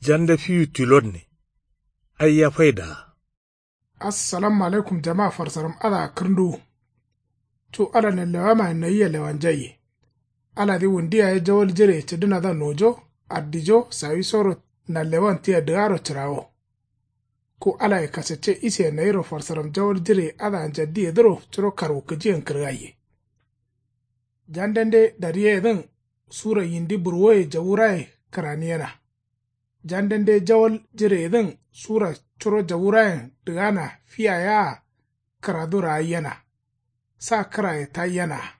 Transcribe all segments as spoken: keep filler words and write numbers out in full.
Jande fiwu tilonne. Aiya faidaa. Assalamu alaikum jama farsaram adǝa kǝrnduwu. Cu ala nallewamayen nayia lewanjaiye. Aladǝ wundu yaye jawal jireye cǝdǝnadǝa nojo, addijo sawisoro nallewan tia dǝgaro cǝrawo. Ku alaye kasacce isiye nayiro farsaram jawal jireye adǝa njaddiyedǝro curo karwukǝjiyen kǝrgaiye. Jandende dariyeyedǝn sura yindi burwoye jawuraye kǝraniyena. Jandende jawal jireyedǝn sura curo jawurayen dǝgana fiyaye-a kǝradu raaiyena. Sa kǝraye taiyenaa.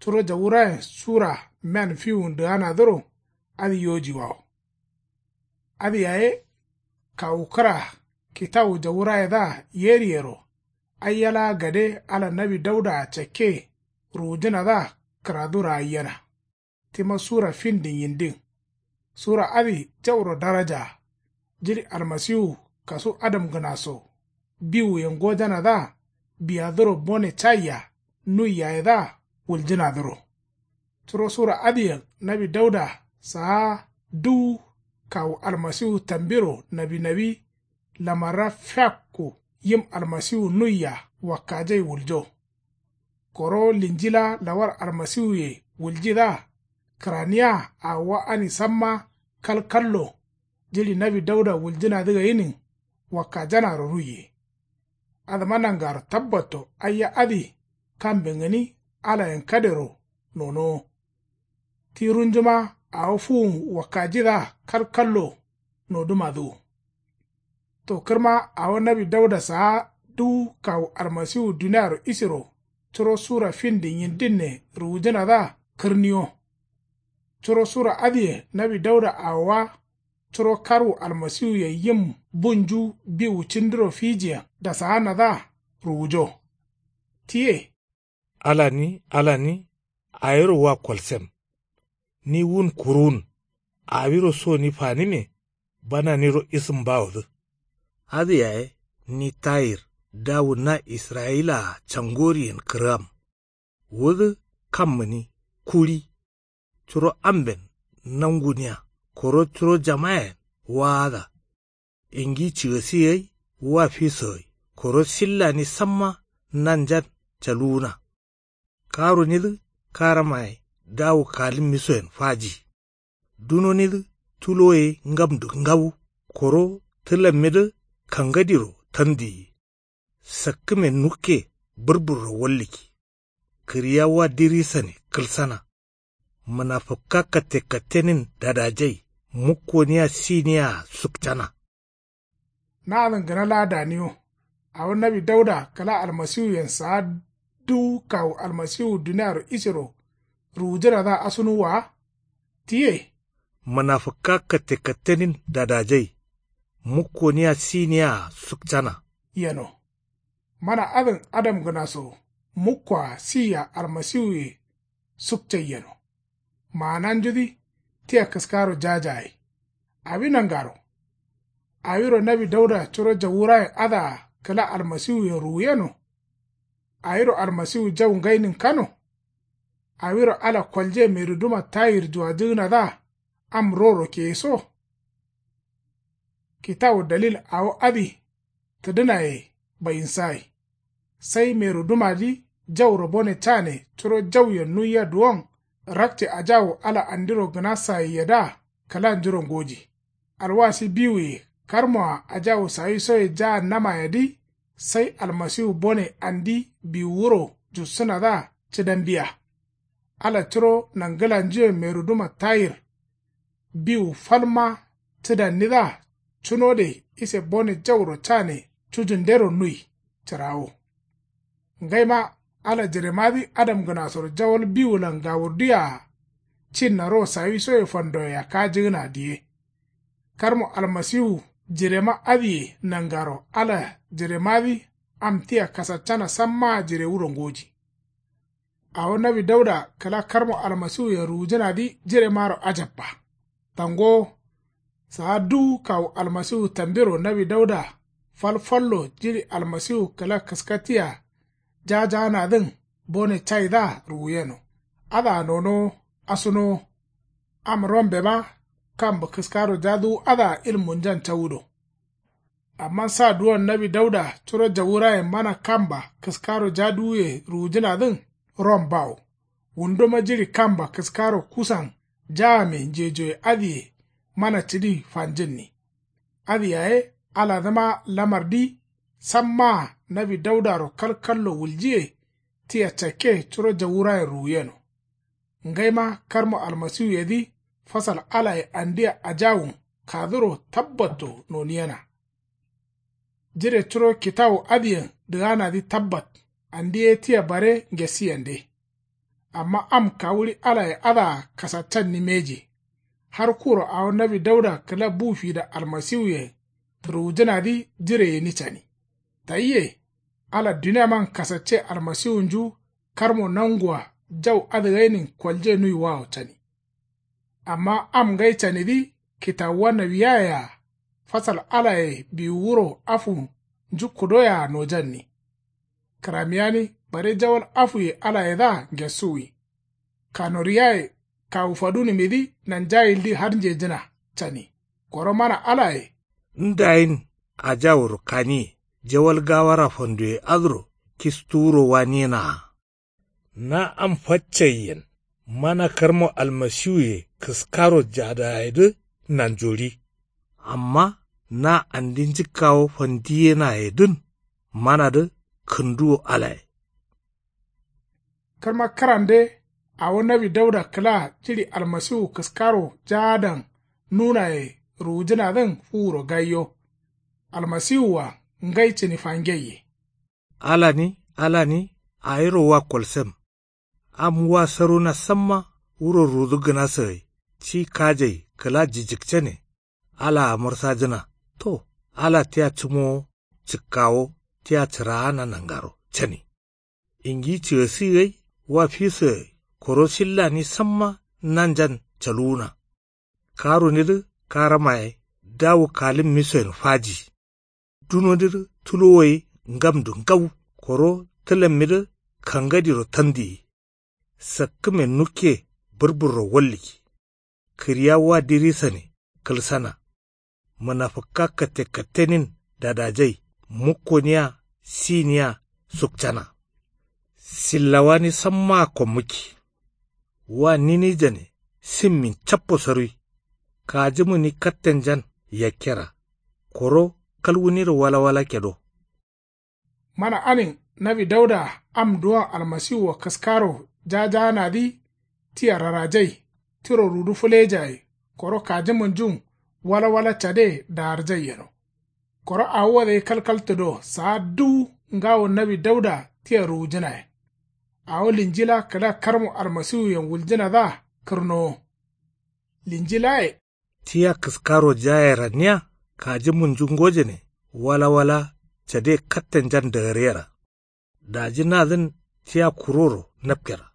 Curo jawurayen sura men fiwun dǝganadǝro adǝ yojiwawo. Adǝ yaye kawu kǝra kitawu jawurayedǝa yeriyero. Aiya laa gade ala nawi daudaa cakke ruwujǝnadǝa kǝradu raaiyena. Tima sura findin yindin. Sura adǝ jauro darajaa. Jiɍi almasiwu kasu adamgǝna so biwuyen gojanadǝa biyadǝro bone caia nuiyayedǝa wuljǝnadǝro. Curo sura adǝyen nawi dauda saa duwu kawu almasiwu tambiro nawi nawi lamarra fiakku yim almasiwu nuiya wakkajai wuljo. Koro linji laa lawar almasiwuye wuljidǝa kǝraniya awowa ani samma kalkallo jiɍi nawi dauda wuljǝnadǝ gainin wakkajanaro ruiye. Adǝma nangaro tabbatto aiya adǝ kamben gǝni alayen kadero nonowo. Ti runjuma awo fuwun wakkajidǝa kalkallo nodǝmadǝ wo. To kǝrma awo nawi dauda saa duwu kawu almasiwu duniaro isiro curo sura findin yindinne ruwujǝnadǝa kǝrniyo. Curo sura adǝye nawi dauda awowa curo karwu almasiwuyen yim bunju biwu cindiro fijiyen dasaanadǝa ruwujo. Tiye. Alani alani, awiro wa kolsem. Ni wun kuruwun. Awiro soni fanime. Bananiro isǝmbawodǝ. Adǝ yaye ni tayir dawu na israyila-a cangoriyen kǝrgam. Wudǝ kam gǝni kuɍi. Curo amben nanguniya koro curo jamayen waada. Ingi cigasi gai wa fiso gai koro sillani samma nanjan caluwuna. Karunidǝ karamaye dawu kalǝmmisoyen faji. Dunonidǝ tulo ye ngamdu ngawu koro tǝlammidǝ kangadiro tandiyi. Sakkǝme nukke bǝrbǝrro wallǝkki. Kǝriya wa dirisane kǝlsana. Mǝnafǝkka kattekattenin dadajai mukkoniya siniya-a sukcana. Nadǝn gǝna laa daniyo. Awo nawi dauda kǝla almasiwuyen saa duwu kawu almasiwu duniaro isiro ruwujǝnadǝa asunuwwa wa. Tiye. Mǝnafǝkka kattekattenin dadajai mukkoniya siniya-a sukcana. Yeno. Mana adǝn adamgǝna so mukkoa siya almasiwuye sukcai yeno. Maananjudǝ tia kǝskaro jajagai. Awi nangaro. Awiro nawi dauda curo jawurayen adǝa kǝla almasiwuyen ruwuyeno. Awiro almasiwu jau ngainin kano. Awiro ala kolje meruduma tayir juwajǝgǝnadǝa am roro keyeso. Kitawu dalil awo adǝ tǝdǝnaye bayinsagai. Sai merudumadǝ jauro bone cane curo jauyen nuiya duwon rakce ajawu ala andiro gǝna sayiyyedǝa kǝlanjuro ngoji. Alwasi biwuye karmoa ajawu sawisoye jaannamayedǝ sai almasiwu bone andi biwuwuro jussǝnadǝa cǝdambiya. Ala curo nangǝlanjuyen meruduma tayir biwu falma cǝdannidǝa cunode ise bone jauro cane cujundero nui cǝrawo. Ngaima ala jiremadǝ adamgǝnasoro jawal biwulan gawurduyea cinna ro sawisoye fandoye yakkajǝgǝna diye. Karmo almasiwu jirema adǝye nangaro ala jiremadǝ am tia kasaccana sammaa jirewuro ngoji. Awo nawi dauda kǝla karmo almasiwuyen ruwujǝnadǝ jiremaro ajabba. Tangowo. Saa duwu kawu almasiwu tambiro nawi dauda fal fallo jiɍi almasiwu kǝla kǝskatiya jajaanadǝn bone caidǝa ruwuyeno. Adǝa nonowo asunowo. Am rombema Kambǝ kǝskaro jaduwu adǝa ilmunjan cawudo. Amma sa duwon nawi dauda curo jawurayen mana kamba kǝskaro jaduwuye ruwujǝnadǝn ron bawo. Wundoma jiɍi kamba kǝskaro kusan jaame njejoye adǝye mana cǝdi fanjǝnni. Adǝ yaye aladǝma lamardi sammaa nawi daudaro kalkallo wuljiye. Tia cakke curo jawurayen ruwuyeno. Ngaima karmo almasiwuyedǝ fasal alaye andia ajawun kaduro tabbatto noniyena. Jire curo kitawu adǝyen dǝganadǝ tabbat andi ye tia bare ngesiyende. Amma am kawuɍi alaye adǝa kasaccanni mbeji. Har kuro awo nawi dauda kǝla bu fida almasiwuyen ruwujǝnadǝ jire gǝni cani. Tayye ala duniaman kasacce almasiwunju karmo nangua jau adǝgainin kolje nuiwawo cani. Amma am ngai canidǝ kitawuwa nawiyayea fasal alaye biwu wuro afu njukkudoyea nojanni. Kǝramiyani bare jawal afuye alayedǝa ngesuwi. Kanoriyaye kawu fadunǝmidǝ nanjayildǝ har njejǝna cani. Koro mana alaye ndayin ajawuro kaniye jawal gawara fanduye adǝro kistuwuro waniyena. Na am faccaiyen mana karmo almasiwuye kǝskaro jadayedǝ nanjoɍi. Amma na andi njǝkkawo fandiyenayedǝn manadǝ kǝnduwo alaye. Kǝrma kǝrande awo nawi dauda kǝla jiɍi almasiwu kǝskaro jaadan nunaye ruwujǝnadǝn fuwuro gaiyo. Almasiwua ngai cǝni fangeiye. Alani alani awiro wa kolsem. Am wa saruna samma wuro rudu gǝna sǝgai ci kajai kǝla jijikcane. Alaa mǝrsajǝna to ala tia cǝmowo cǝkkawo tia cǝraana nangaro cani. Ingi cǝgǝsi gai wa fisǝgai koro shillani samma nanjan caluwuna. Karunidǝ karamaye dawu kalimmisoyen faji. Dunodidǝ tulowo ye ngamdu ngau koro tǝlammidǝ kangadiro tandiyi. Sakkǝme nukke bǝrbǝrro wallǝki. Kǝriya wa dirisane kǝlsana. Mǝnafǝkka katte kattenin dadajai mukkoniya siniya sukcana. Sillawani sammaa kommukki. Wa ninijane simmin cappo sarwi. Kajǝmǝni kattenjan yakkera koro kalwuniro walawala kedo. Mana anin nawi dauda am duwon almasiwua kǝskaro jajaanadǝ tia rarajai tiro rudu fǝlejaye koro kajǝmǝnjun walawala cade daarjai yeno. Koro awo wodai kalkaltǝdo saa duwu ngawo nawi dauda tia ruwujǝnayen. Awo linjila kǝla karmu almasiwuyen wuljǝnadǝa kǝrnowo. Linjilaye tia kǝskaro jaye ranniya kajǝmǝnju ngojane walawala cade kattenjan dagaryera. Daji nadǝn tia kuroro napkera.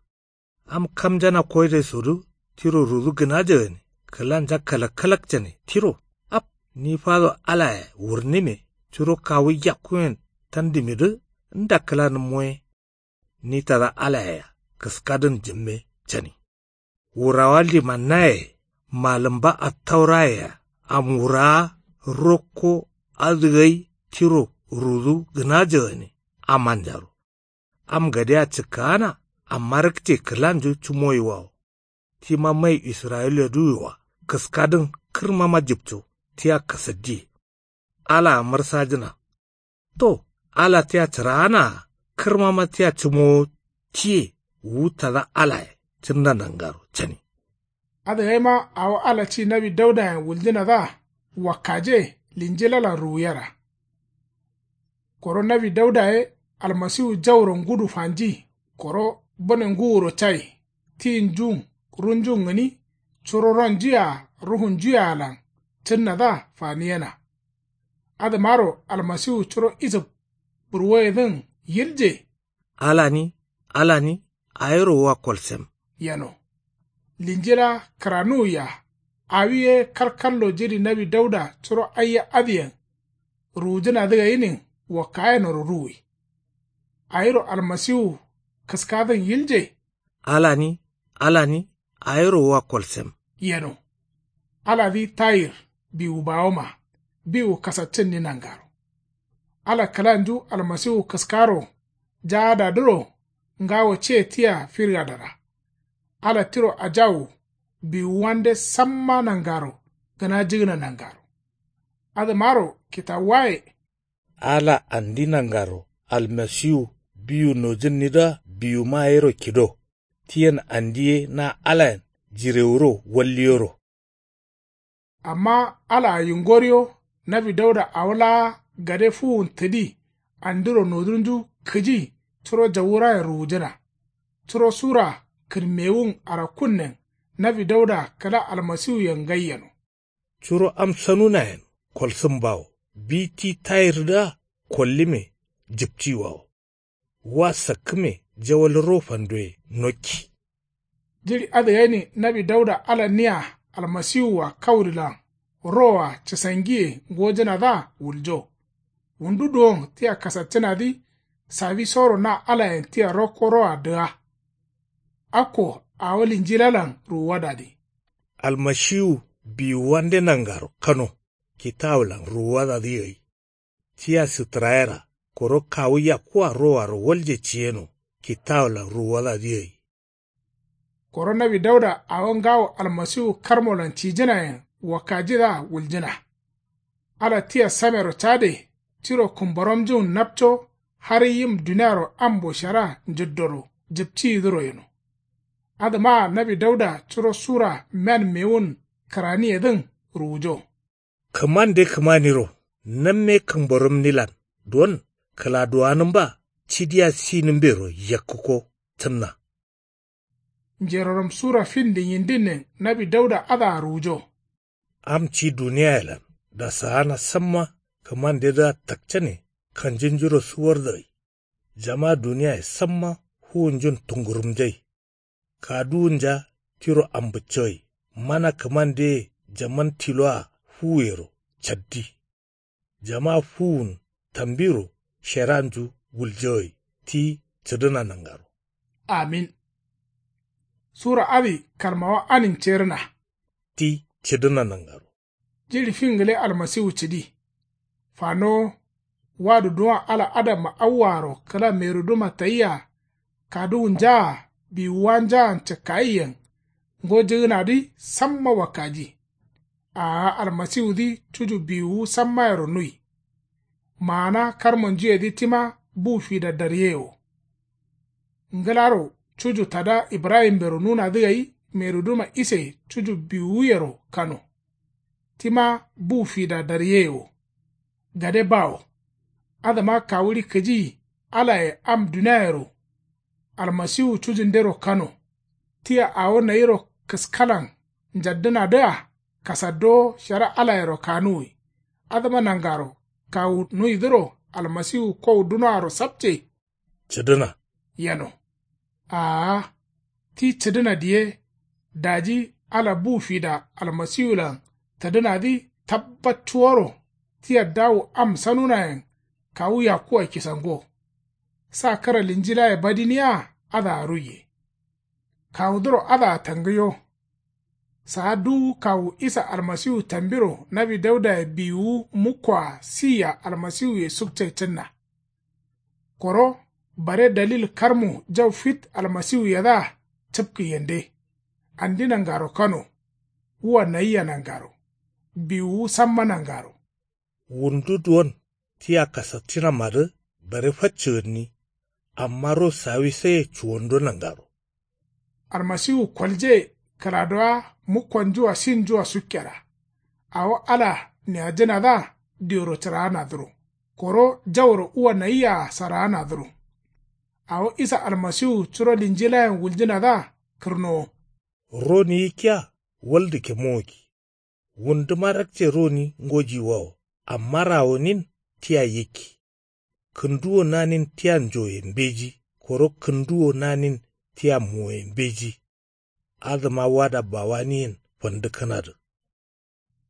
Am kamjana koidaisodǝ tiro rudu gǝnajagane kǝlanja kalakkalakjane tiro. Ap ni fado alaye wurnǝme curo kawu yakkuyen tandǝmidǝ nda kǝlanǝmmoye. Ni tada alayea kǝskadǝn jǝmme cani. Wurawa limannaye malǝmba attaurayea am wurawa rokko adǝgai tiro rudu gǝnajagane amanjaro. Am gadea cǝkkaana amma rǝkce kǝlanju cǝmoyiwawo. Tima mai israyiladǝ yoa kǝskadǝn kǝrmama jipco tia kasaddiye. Alaa mǝrsajǝna to ala tia cǝraanaa kǝrmama tia cǝmowo tiye wu tada alaye cǝnda nangaro cani. Adǝgaima awo ala ci nawi daudayen wuljǝnadǝa wakkaje linjilalan ruwuyera. Koro nawi dauda ye almasiwu jauro ngudu fanji koro bune ngǝwuro cai tinjun runjun gǝni curo ronjuye-a ruhunjuye-alan cǝnnadǝa faniyena. Adǝmaro almasiwu curo isǝb burwoyedǝn yilje. Alani alani awiro wa kolsem yeno. Linjila kǝranuwia awi ye kalkallo jiɍi nawi dauda curo aiya adǝyen ruwujǝnadǝ gainin wakkayenoro ruwi. Awiro almasiwu kǝskadǝn yilje. Alani alani awiro wa kolsem yeno. Aladǝ tayir biwu bawoma biwu kasaccǝnni nangaro. Ala kǝlanju almasiwu kǝskaro jaadadǝro ngawo ce tia firgadara. Ala tiro ajawu biwuwande samma nangaro gǝnajǝgǝna nangaro. Adǝmaro kitawuwaye. Ala andi nangaro almasiwu biwu nojǝnnidǝa biwuma yero kido. Tiyen andi ye na alayen jirewuro walliyoro. Amma alaa yingoriyo nawi dauda awo laa gade fuwun tǝdi andiro nodunju kǝji curo jawurayen ruwujǝna. Curo sura kǝrmewun arakunnen nawi dauda kǝla almasiwuyen ngai yeno. Curo am sanunayen kolsǝmbawo bi ti tayirdǝa kollime jǝptiwawo. Wa sakkǝme jawal ro fandoye nokki. Jiɍi adǝ gani nawi dauda ala nia almasiwua kaurilan roa cǝsangiye ngojǝnadǝa wuljo. Wundu duwon tia kasaccǝnadǝ sawisoro na alayen tia rokko roa dǝga. Akko awo linjilalan ruwuwadadǝ. Almasiwu biwuwande nangaro kano kitawulan ruwuwadadǝ gai. Tia sǝtǝrayera koro kawu yakkuwa rowaro walje ciyeno kitawulan ruwuwadadǝ gai. Koro nawi dauda awo ngawo almasiwu karmolan cijǝnayen wakkajidǝa wuljǝna. Ala tia samero cade tiro kǝmboromjǝwun napco har yim duniaro ambo shara njǝddoro jǝptiyidǝro yeno. Adǝmaa nawi dauda curo sura men mewun kǝraniyedǝn ruwujo. Kǝmande kǝmaniro namme kǝmboromnilan don kǝladuwanǝmba cidiya sinǝmbero yakkǝko tǝnna. Njerorom sura findi nyindinnen nawi dauda adǝa ruwujo. Am ci duniyayelan dasaana samma kǝmandedǝa takcane kanjunjuro suwardǝ gai. Jama duniyaye samma fuwunjun tungurumjai. Kaduwunja tiro ambǝccogai mana kǝmandeye jaman tiloa fuwuyero caddi. Jama fuwun tambiro sheranju wuljogai ti cǝdǝna nangaro. Amin. Sura adǝ karmawa anin cerǝna. Ti cǝdǝna nangaro. Jiɍi fin gǝle almasiwu cǝdi. Fanowo wadu duwon ala adamma awwaaro kǝla meruduma tayia kaduwunjaa biwuwanjaan cǝkkayiyyen ngojǝgǝnadǝ samma wakkaji. Aa almasiwudǝ cuju biwuwu sammayero nui. Maana karmonjuyedǝ tima bu fida daryeyewo. Ngǝlaro cuju tada ibrahimbero nunadǝ gai meruduma ise cuju biwuyero kano. Tima bu fida daryeye wo. Gade bawo. Adǝma kawuɍi kǝji alaye am duniayero. Almasiwu cujundero kano. Tia awo nayiro kǝskalan njaddǝnadǝa kasaddowo shara alayero kanuwi. Adǝma nangaro kawu nuwidǝro almasiwu kowu dunoaro sapce. Cǝdǝna. Yeno. Aa. Ti cǝdǝna diye. Daji ala bu fida almasiwulan tǝdǝnadǝ tabbatcuworo. Tia dawu am sanunayen kawu yakkuwa kisango. Sa kǝra linjilaye badiniya adǝa ruiye. Kawudǝro adǝa tangǝyo. Saa duwu kawu isa almasiwu tambiro nawi daudaye biwuwu mukkoa siya almasiwuye sukcai cǝnna. Koro bare dalil karmu jau fit almasiwuyedǝa cǝpkǝ yende. Andi nangaro kano. Wua nayia nangaro. Biwuwu samma nangaro. Wundu duwon tia kasatcinamadǝ bare faccǝgǝnni. Amma ro sawisaye cuwando nangaro. Almasiwu kolje kǝladowa mukkonjua sinjua sukkera. Awo ala niyajǝnadǝa dioro cǝraanadǝro. Koro jauro uwa nayiyaa saraanadǝro. Awo isa almasiwu curo linjilayen wuljǝnadǝa kǝrnowo. Roni yikkiya waldu kemowoki. Wunduma rakce roni ngojiwawo. Amma rawonin tia yikki. Kǝnduwo nanin tia njoye mbeji koro kǝnduwo nanin tia moye mbeji. Adǝma wada bawaniyen fandǝkkǝnadǝ.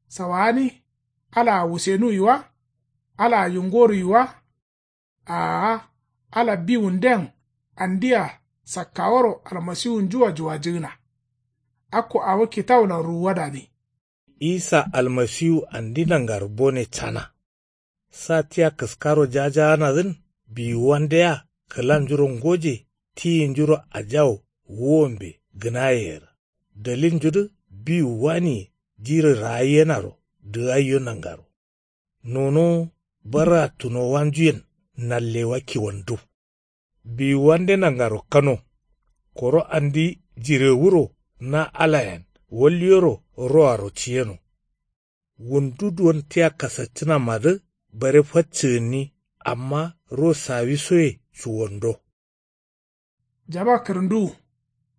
Sawani. Alaa wusenuwi wa? Alaa yungoruwi wa? Aa. Ala biwunden andia sakkaworo almasiwunjua juwajǝgǝna. Akko awo kitawulan ruwuwadadǝ. Isa almasiwu andi nangaro bone cana. Sa tia kǝskaro jajaanadǝn biwuwandea kǝlanjuro ngoje tiyinjuro ajawo wuwombe gǝnayeyerǝ. Dalilnjudǝ biwu waniye jirǝ raayyenaro dǝgaiyo nangaro. Nonowo barra tunowanjuyen nallewa kiwandu. Biwuwande nangaro kano. Koro andi jirewuro na alayen walyoro roaro ciyeno. Wundu duwon tia kasaccǝnamadǝ bare faccǝgǝnni. Amma ro sawisoye cuwando. Jama kǝrǝnduwu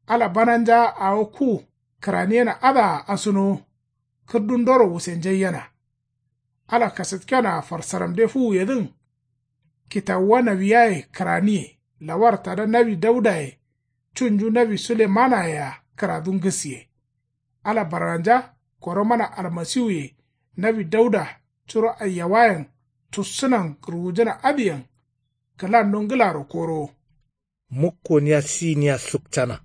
ala bananja awo ku kǝraniyena adǝa asunowo. Kǝrdundoro wusenjaiyena ala kasatkenoa farsaramde fuwuyedǝn. Kitawuwa nawiyaye kǝraniye lawar tada nawi daudaye cunju nawi sulemanaye-a kǝradun gǝsiye. Ala barganja koro mana almasiwuye nawi dauda curo aiyawayen tussǝnan ruwujǝna adǝyen kǝlando ngǝlaro korowo. Mukkoniya siniya sukcana.